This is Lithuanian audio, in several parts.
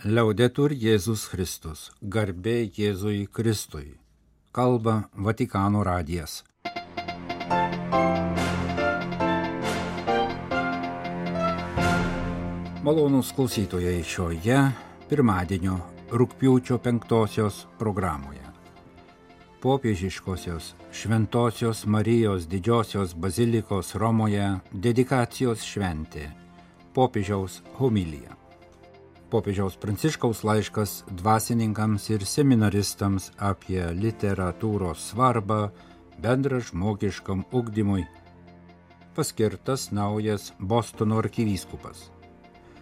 Liaudetur Jėzus Kristus, garbė Jėzui Kristui. Kalba Vatikano radijas. Malonūs klausytojai šioje pirmadienio rugpjūčio 5 programoje. Popiežiškosios Šventosios Marijos Didžiosios Bazilikos Romoje dedikacijos šventė. Popiežiaus homilija. Popiežiaus Pranciškaus laiškas dvasininkams ir seminaristams apie literatūros svarbą bendražmogiškam ugdymui. Paskirtas naujas Bostono arkivyskupas.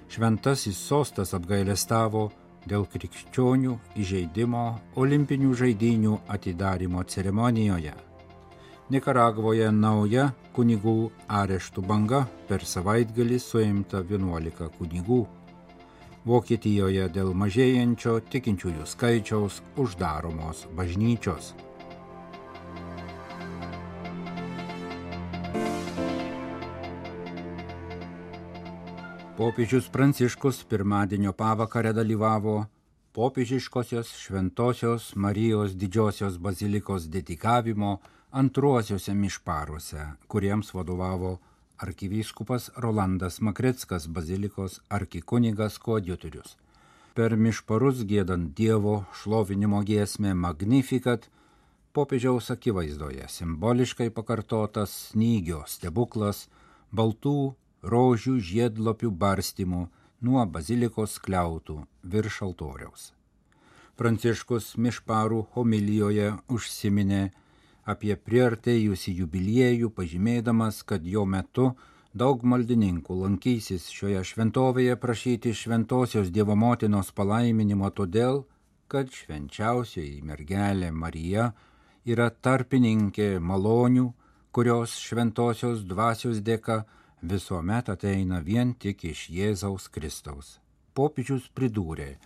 Šventasis sostas apgailestavo dėl krikščionių įžeidimo olimpinių žaidynių atidarymo ceremonijoje. Nikaragvoje nauja kunigų areštų banga, per savaitgalį suimta 11 kunigų. Vokietijoje dėl mažėjančio tikinčiųjų skaičiaus uždaromos bažnyčios. Popiežius Pranciškus pirmadienio pavakarę dalyvavo popiežiškosios Šventosios Marijos Didžiosios Bazilikos dedikavimo antruosiuose mišparuose, kuriems vadovavo arkivyskupas Rolandas Makrickas, bazilikos arkikunigas koadjutorius. Per mišparus giedant Dievo šlovinimo giesmę Magnificat, popiežiaus akivaizdoje simboliškai pakartotas snygio stebuklas baltų rožių žiedlapių barstymų nuo bazilikos skliautų virš altoriaus. Pranciškus mišparų homilijoje užsiminė apie priartėjusį jubiliejų, pažymėdamas, kad jo metu daug maldininkų lankysis šioje šventovėje prašyti šventosios Dievo motinos palaiminimo todėl, kad švenčiausioji mergelė Marija yra tarpininkė malonių, kurios šventosios dvasios dėka visuomet ateina vien tik iš Jėzaus Kristaus. Popiežius pridūrė: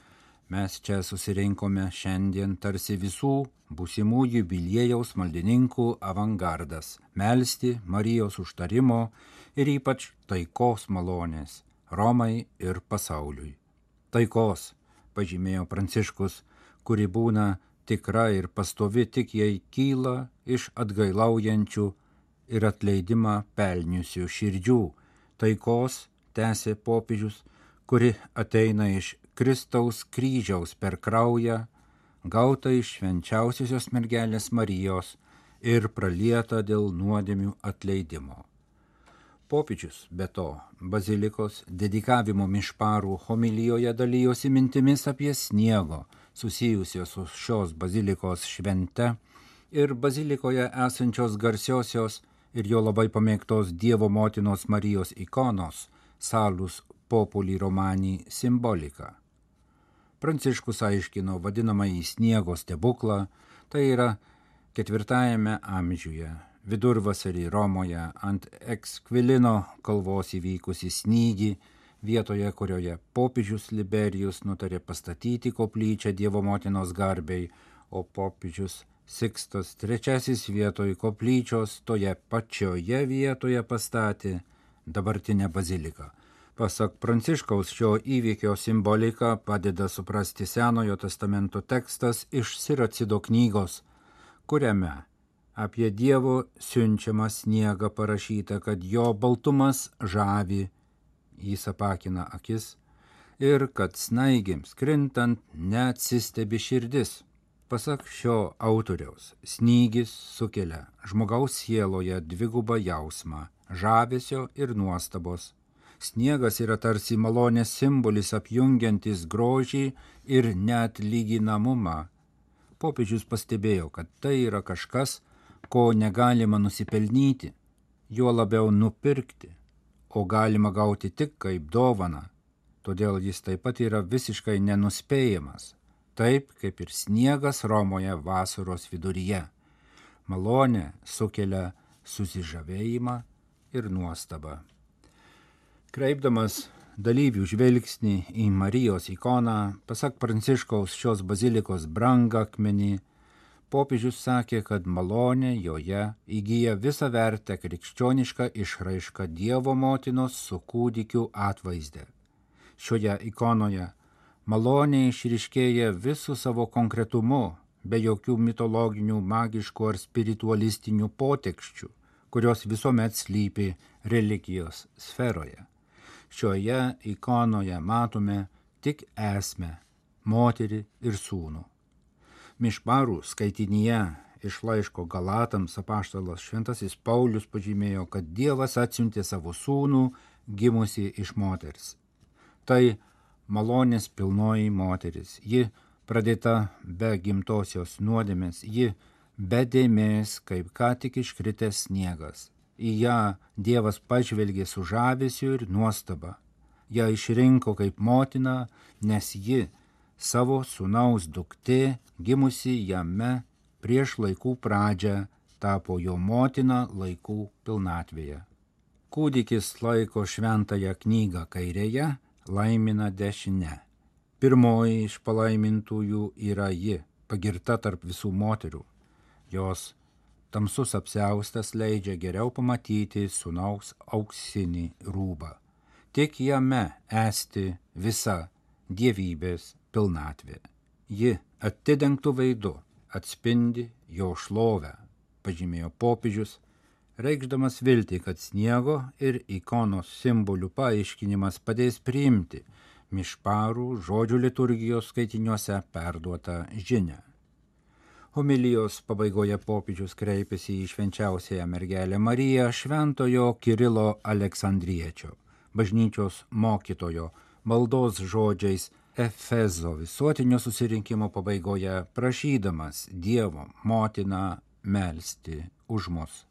mes čia susirinkome šiandien tarsi visų būsimų jubiliejaus maldininkų avangardas, melsti Marijos užtarimo ir ypač taikos malonės Romai ir pasauliui. Taikos, pažymėjo Pranciškus, kuri būna tikra ir pastovi tik jei kyla iš atgailaujančių ir atleidimą pelniusių širdžių. Taikos, tęsė popiežius, kuri ateina iš Kristaus kryžiaus per kraują, gauta iš švenčiausiosios mergelės Marijos ir pralieta dėl nuodėmių atleidimo. Popiežius, be to, bazilikos dedikavimo mišparų homilijoje dalijosi mintimis apie sniego susijusios su šios bazilikos švente ir bazilikoje esančios garsiosios ir jo labai pamėgtos Dievo motinos Marijos ikonos Salus Populi Romani simbolika. Pranciškus aiškino vadinamąjį sniego stebuklą, tai yra 4 amžiuje, vidurvasarį Romoje ant Ekskvilino kalvos įvykusi snygį, vietoje kurioje popiežius Liberijus nutarė pastatyti koplyčią Dievo motinos garbei, o popiežius Sikstas III vietoj koplyčios toje pačioje vietoje pastatė dabartinę baziliką. Pasak Pranciškaus, šio įvykio simbolika padeda suprasti Senojo testamento tekstas iš Siracido knygos, kuriame apie Dievo siunčiamą sniegą parašyta, kad jo baltumas žavi, jis apakina akis ir kad snaigėms krintant neatsistebi širdis. Pasak šio autoriaus, snygis sukelia žmogaus sieloje dvigubą jausmą žavesio ir nuostabos. Sniegas yra tarsi malonės simbolis apjungiantis grožį ir neatlyginamumą. Popiežius pastebėjo, kad tai yra kažkas, ko negalima nusipelnyti, juo labiau nupirkti, o galima gauti tik kaip dovaną. Todėl jis taip pat yra visiškai nenuspėjamas, taip kaip ir sniegas Romoje vasaros viduryje. Malonė sukelia susižavėjimą ir nuostabą. Kreipdamas dalyvių žvilgsnį į Marijos ikoną, pasak Pranciškaus šios bazilikos brangakmenį, popiežius sakė, kad malonė joje įgyja visą vertę krikščionišką išraišką Dievo motinos su kūdikiu atvaizde. Šioje ikonoje Malonė išryškėja visų savo konkretumu, be jokių mitologinių, magiškų ar spiritualistinių potekščių, kurios visuomet slypi religijos sferoje. Šioje ikonoje matome tik esmę, moterį ir sūnų. Mišparų skaitinyje iš laiško Galatams apaštalas Šventasis Paulius pažymėjo, kad Dievas atsiuntė savo sūnų gimusi iš moters. Tai malonės pilnoji moteris, ji pradėta be gimtosios nuodėmės, ji be dėmės, kaip ką tik iškritęs sniegas. Į ją Dievas pažvelgė su žavesiu ir nuostaba. Ją išrinko kaip motina, nes ji savo sūnaus duktė, gimusi jame prieš laikų pradžią, tapo jo motina laikų pilnatvėje. Kūdikis laiko šventąją knygą kairėje, laimina dešinę. Pirmoji iš palaimintųjų yra ji, pagirta tarp visų moterų. Jos tamsus apsiaustas leidžia geriau pamatyti sūnaus auksinį rūbą. Tik jame esti visa dievybės pilnatvė. Ji atidengtų veidu atspindi jo šlovę, pažymėjo popiežius, reikšdamas viltį, kad sniego ir ikonos simbolių paaiškinimas padės priimti mišparų žodžių liturgijos skaitiniuose perduotą žinią. Homilijos pabaigoje popiežius kreipėsi į švenčiausiąją mergelę Mariją šventojo Kirilo Aleksandriečio, bažnyčios mokytojo, maldos žodžiais Efezo visuotinio susirinkimo pabaigoje, prašydamas Dievo motiną melsti už mus.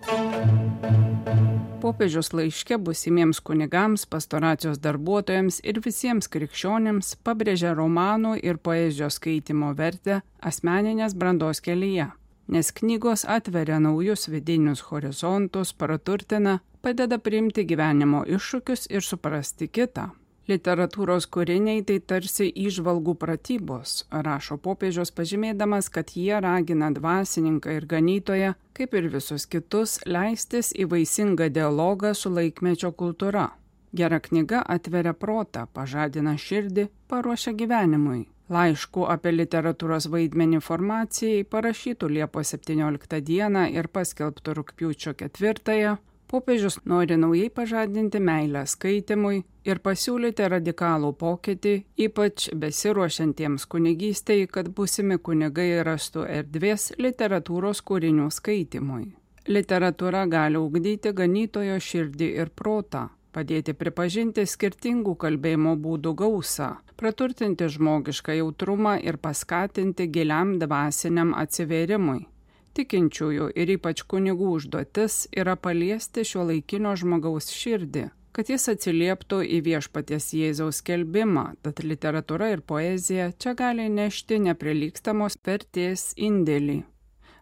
Popiežiaus laiške būsimiems kunigams, pastoracijos darbuotojams ir visiems krikščionėms pabrėžia romanų ir poezijos skaitimo vertę asmeninės brandos kelyje, nes knygos atveria naujus vidinius horizontus, praturtina, padeda priimti gyvenimo iššūkius ir suprasti kitą. Literatūros kūriniai tai tarsi įžvalgų pratybos, rašo popiežius pažymėdamas, kad jie ragina dvasininką ir ganytoją, kaip ir visus kitus, leistis į vaisingą dialogą su laikmečio kultūra. Gera knyga atveria protą, pažadina širdį, paruošia gyvenimui. Laiškų apie literatūros vaidmenį formacijai parašytų Liepos 17 dieną ir paskelbtų rugpjūčio 4, popiežius nori naujai pažadinti meilę skaitimui ir pasiūlyti radikalų pokytį, ypač besiruošiantiems kunigystei, kad būsimi kunigai rastų erdvės literatūros kūrinių skaitimui. Literatūra gali ugdyti ganytojo širdį ir protą, padėti pripažinti skirtingų kalbėjimo būdų gausą, praturtinti žmogišką jautrumą ir paskatinti giliam dvasiniam atsivėrimui. Tikinčiųjų ir ypač kunigų užduotis yra paliesti šiuolaikinio žmogaus širdį, kad jis atsilieptų į viešpaties Jėzaus skelbimą, tad literatūra ir poezija čia gali nešti neprilygstamos vertės indėlį.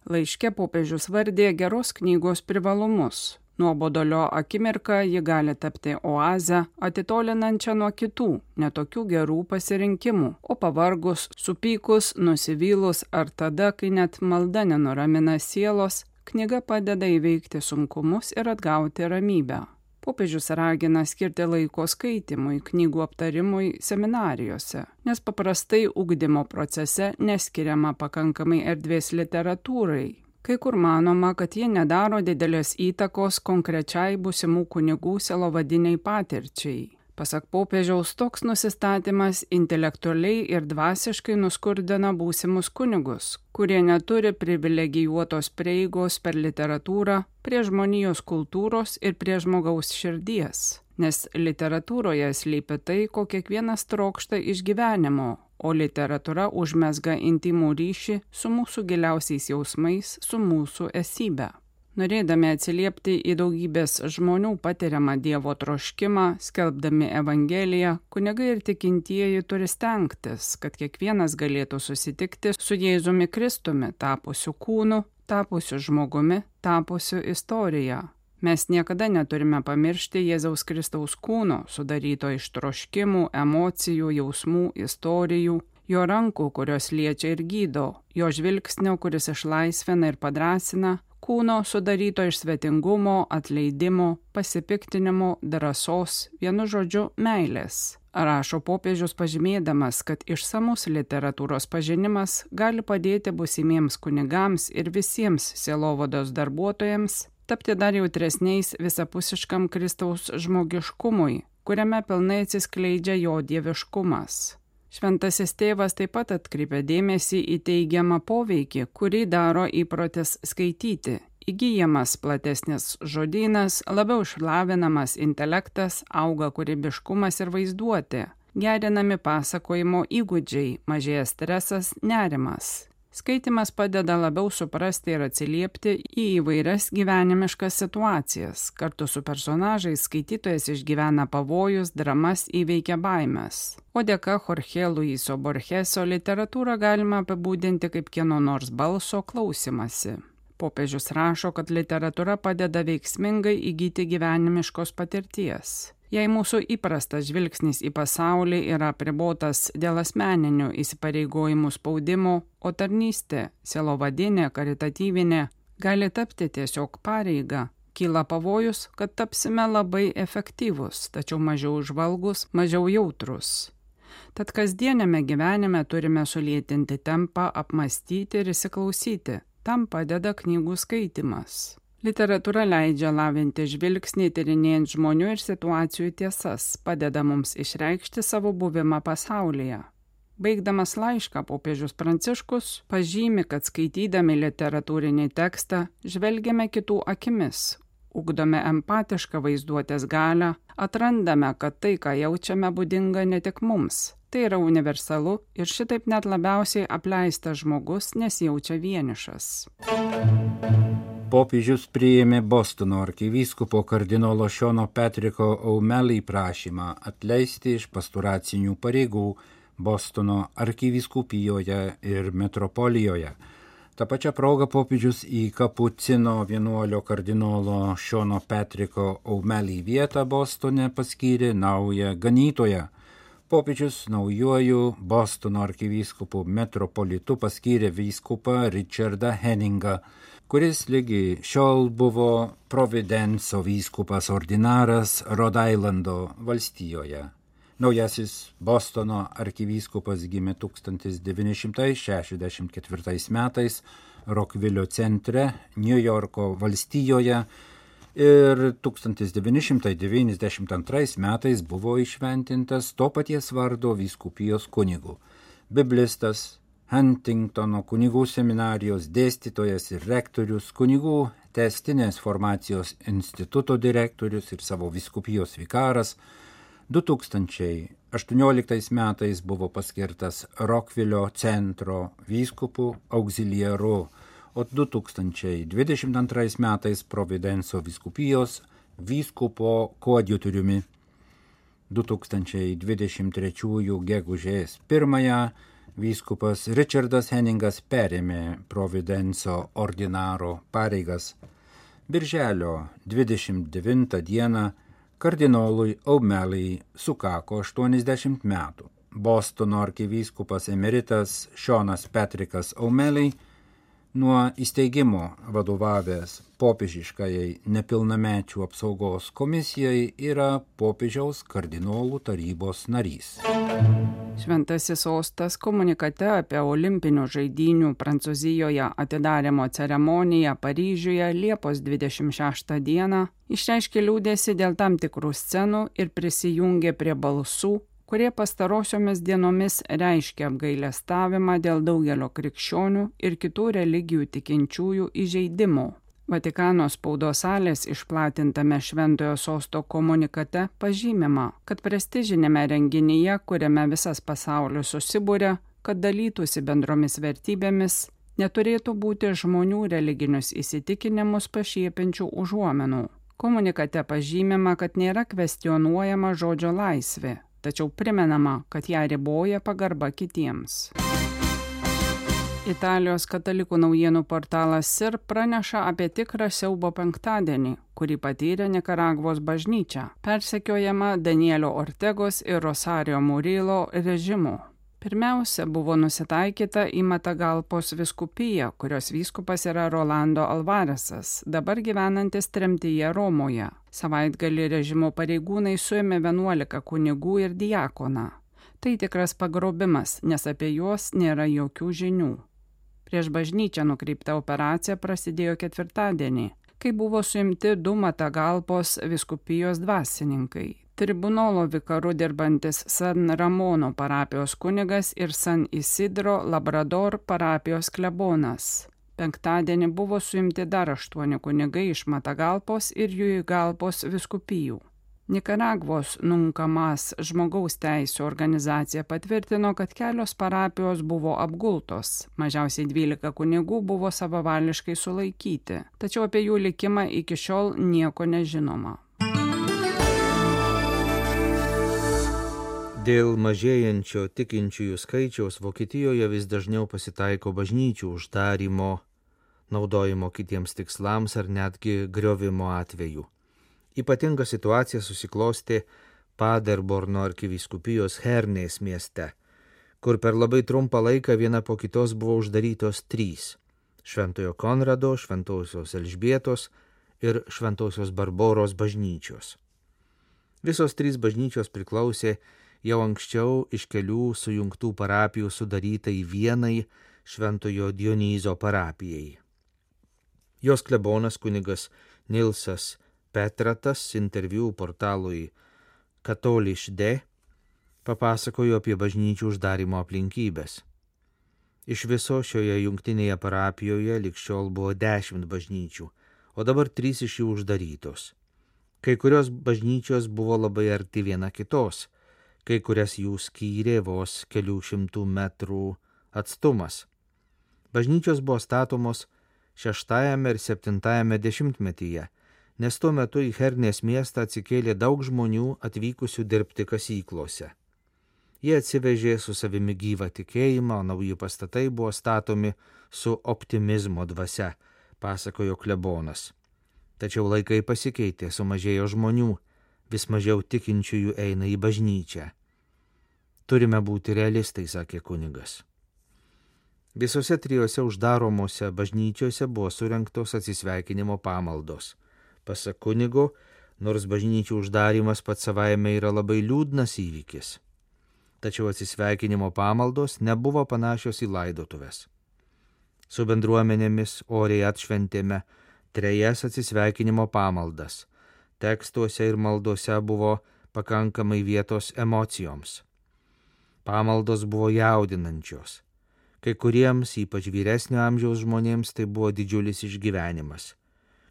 Laiške popiežius vardė geros knygos privalumus. Nuobodulio akimirką ji gali tapti oazę, atitolinančią nuo kitų, netokių gerų pasirinkimų, o pavargus, supykus, nusivylus ar tada, kai net malda nenuramina sielos, knyga padeda įveikti sunkumus ir atgauti ramybę. Popiežius ragina skirti laiko skaitimui, knygų aptarimui seminarijose, nes paprastai ugdymo procese neskiriama pakankamai erdvės literatūrai. Kai kur manoma, kad jie nedaro didelės įtakos konkrečiai būsimų kunigų sielovadiniai patirčiai. Pasak popiežiaus, toks nusistatymas intelektualiai ir dvasiškai nuskurdina būsimus kunigus, kurie neturi privilegijuotos prieigos per literatūrą prie žmonijos kultūros ir prie žmogaus širdies, nes literatūroje slypi tai, ko kiekvienas trokšta iš gyvenimo, o literatūra užmezga intimų ryšį su mūsų giliausiais jausmais, su mūsų esybe. Norėdami atsiliepti į daugybės žmonių patiriamą Dievo troškimą, skelbdami Evangeliją, kunigai ir tikintieji turi stengtis, kad kiekvienas galėtų susitikti su Jėzumi Kristumi, tapusiu kūnu, tapusiu žmogumi, tapusiu istorija. Mes niekada neturime pamiršti Jėzaus Kristaus kūno, sudaryto iš troškimų, emocijų, jausmų, istorijų, jo rankų, kurios liečia ir gydo, jo žvilgsnio, kuris išlaisvina ir padrąsina, kūno sudaryto iš svetingumo, atleidimo, pasipiktinimo, drąsos, vienu žodžiu meilės. rašo popiežius pažymėdamas, kad išsamus literatūros pažinimas gali padėti būsimiems kunigams ir visiems sielovados darbuotojams tapti dar jautresniais visapusiškam Kristaus žmogiškumui, kuriame pilnai atsiskleidžia jo dieviškumas. Šventasis tėvas taip pat atkreipia dėmesį į teigiamą poveikį, kurį daro įprotis skaityti. Įgyjamas platesnis žodynas, labiau išlavinamas intelektas, auga kūrybiškumas ir vaizduotė, gerinami pasakojimo įgūdžiai, mažėja stresas, nerimas. Skaitimas padeda labiau suprasti ir atsiliepti į įvairias gyvenimiškas situacijas. Kartu su personažais skaitytojas išgyvena pavojus, dramas, įveikia baimes. O dėka Jorge Luiso Borgeso literatūrą galima apibūdinti kaip kieno nors balso klausimasi. Popiežius rašo, kad literatūra padeda veiksmingai įgyti gyvenimiškos patirties. Jei mūsų įprastas žvilgsnis į pasaulį yra apribotas dėl asmeninių įsipareigojimų spaudimo, o tarnystė, sielovadinė, karitatyvinė, gali tapti tiesiog pareiga, kyla pavojus, kad tapsime labai efektyvūs, tačiau mažiau žvalgus, mažiau jautrus. Tad kasdienėme gyvenime turime sulėtinti tempą, apmąstyti ir įsiklausyti. Tam padeda knygų skaitimas. Literatūra leidžia lavinti žvilgsnį, tyrinėjant žmonių ir situacijų tiesas, padeda mums išreikšti savo buvimą pasaulyje. Baigdamas laišką, popiežius Pranciškus pažymi, kad skaitydami literatūrinį tekstą žvelgiame kitų akimis, ugdome empatišką vaizduotės galią, atrandame, kad tai, ką jaučiame, būdinga ne tik mums. Tai yra universalu ir šitaip net labiausiai apleistas žmogus nesijaučia vienišas. Popiežius priėmė Bostono arkivyskupo kardinolo Seano Patricko O'Malley prašymą atleisti iš pastoracinių pareigų Bostono arkivyskupijoje ir metropolijoje. Ta pačia proga popiežius į kapucino vienuolio kardinolo Seano Patricko O'Malley vietą Bostone paskyrė naują ganytoją. Popiežius naujuoju Bostono arkivyskupu metropolitu paskyrė vyskupą Richardą Henningą, kuris lygi šiol buvo Providenco vyskupas ordinaras Rhode Islando valstijoje. Naujasis Bostono arkivyskupas gimė 1964 metais Rockville centre, New Yorko valstijoje ir 1992 metais buvo įšventintas to paties vardo vyskupijos kunigu. Biblistas, Huntingtono kunigų seminarijos dėstytojas ir rektorius, kunigų tęstinės formacijos instituto direktorius ir savo vyskupijos vikaras, 2018 metais buvo paskirtas Rockville centro vyskupu auxiliaru, o 2022 metais Providenco vyskupijos vyskupo koadjutoriumi. 2023 gegužės 1 vyskupas Richardas Henningas perėmė Providenco ordinaro pareigas. Birželio 29 dieną kardinolui O'Malley sukako 80 metų. Bostono arkivyskupas emeritas Seanas Patrickas O'Malley nuo įsteigimo vadovavęs popiežiškajai nepilnamečių apsaugos komisijai yra popiežiaus kardinolų tarybos narys. Šventasis sostas komunikate apie olimpinių žaidynių Prancūzijoje atidarymo ceremoniją Paryžiuje Liepos 26 dieną išreiškė liūdesį dėl tam tikrų scenų ir prisijungė prie balsų, kurie pastarosiomis dienomis reiškia apgailestavimą dėl daugelio krikščionių ir kitų religijų tikinčiųjų įžeidimų. Vatikano spaudos salės išplatintame Šventojo sosto komunikate pažymima, kad prestižinėme renginyje, kuriame visas pasaulis susibūrė, kad dalytųsi bendromis vertybėmis, neturėtų būti žmonių religinius įsitikinimus pašiepiančių užuomenų. Komunikate pažymima, kad nėra kvestionuojama žodžio laisvė, tačiau primenama, kad ją riboja pagarba kitiems. Italijos katalikų naujienų portalas SIR praneša apie tikrą siaubo penktadienį, kurį patyrė Nikaragvos bažnyčia, persekiojama Danielio Ortegos ir Rosario Murillo režimų. Pirmiausia, buvo nusitaikyta į Matagalpos vyskupiją, kurios vyskupas yra Rolando Alvaresas, dabar gyvenantis tremtyje Romoje. Savaitgalį režimo pareigūnai suėmė 11 kunigų ir diakoną. Tai tikras pagrobimas, nes apie juos nėra jokių žinių. Prieš bažnyčią nukreipta operacija prasidėjo ketvirtadienį, kai buvo suimti 2 Matagalpos vyskupijos dvasininkai. Tribunolo vikaru dirbantis San Ramono parapijos kunigas ir San Isidro Labrador parapijos klebonas. Penktadienį buvo suimti dar 8 kunigai iš Matagalpos ir Juigalpos vyskupijų. Nikaragvos Nunkamas žmogaus teisių organizacija patvirtino, kad kelios parapijos buvo apgultos. Mažiausiai 12 kunigų buvo savavališkai sulaikyti, tačiau apie jų likimą iki šiol nieko nežinoma. Dėl mažėjančio tikinčiųjų skaičiaus Vokietijoje vis dažniau pasitaiko bažnyčių uždarymo, naudojimo kitiems tikslams ar netgi griovimo atvejų. Ypatinga situacija susiklostė Paderborno arkivyskupijos Hernės mieste, kur per labai trumpą laiką viena po kitos buvo uždarytos 3 – Šventojo Konrado, Šventosios Elžbietos ir Šventosios Barboros bažnyčios. Visos 3 bažnyčios priklausė jau anksčiau iš kelių sujungtų parapijų sudarytai vienai Šventojo Dionyzo parapijai. Jos klebonas kunigas Nilsas Petratas interviu portalui Katolišde papasakojo apie bažnyčių uždarimo aplinkybės. Iš viso šioje jungtinėje parapijoje lig šiol buvo 10 bažnyčių, o dabar 3 iš jų uždarytos. Kai kurios bažnyčios buvo labai arti viena kitos, kai kurias jų skyrė vos kelių šimtų metrų atstumas. Bažnyčios buvo statomos 6 ir 7 dešimtmetyje, nes tuo metu į Hernės miestą atsikėlė daug žmonių atvykusių dirbti kasyklose. Jie atsivežė su savimi gyvą tikėjimą, o nauji pastatai buvo statomi su optimizmo dvasia, pasakojo klebonas. Tačiau laikai pasikeitė, sumažėjo žmonių, vis mažiau tikinčiųjų eina į bažnyčią. Turime būti realistai, sakė kunigas. Visose 3 uždaromose bažnyčiose buvo surengtos atsisveikinimo pamaldos. Pasak kunigo, nors bažnyčių uždarimas pats savaime yra labai liūdnas įvykis, tačiau atsisveikinimo pamaldos nebuvo panašios į laidotuves. Su bendruomenėmis oriai atšventėme 3 atsisveikinimo pamaldas. Tekstuose ir maldose buvo pakankamai vietos emocijoms. Pamaldos buvo jaudinančios. Kai kuriems, ypač vyresnio amžiaus žmonėms, tai buvo didžiulis išgyvenimas.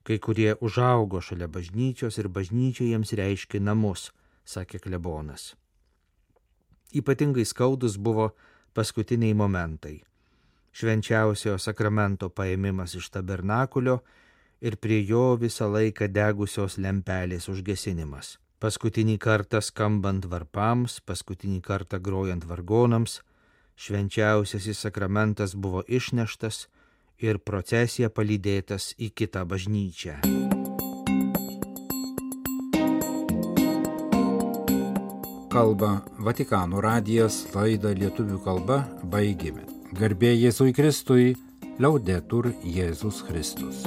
Kai kurie užaugo šalia bažnyčios ir bažnyčia jiems reiškė namus, sakė klebonas. Ypatingai skaudus buvo paskutiniai momentai. Švenčiausiojo sakramento paėmimas iš tabernakulio ir prie jo visą laiką degusios lempelės užgesinimas. Paskutinį kartą skambant varpams, paskutinį kartą grojant vargonams, švenčiausiasis sakramentas buvo išneštas ir procesija palydėtas į kitą bažnyčią. Kalba Vatikano radijas, laidą lietuvių kalba baigėme. Garbė Jėzui Kristui, liaudetur Jėzus Kristus.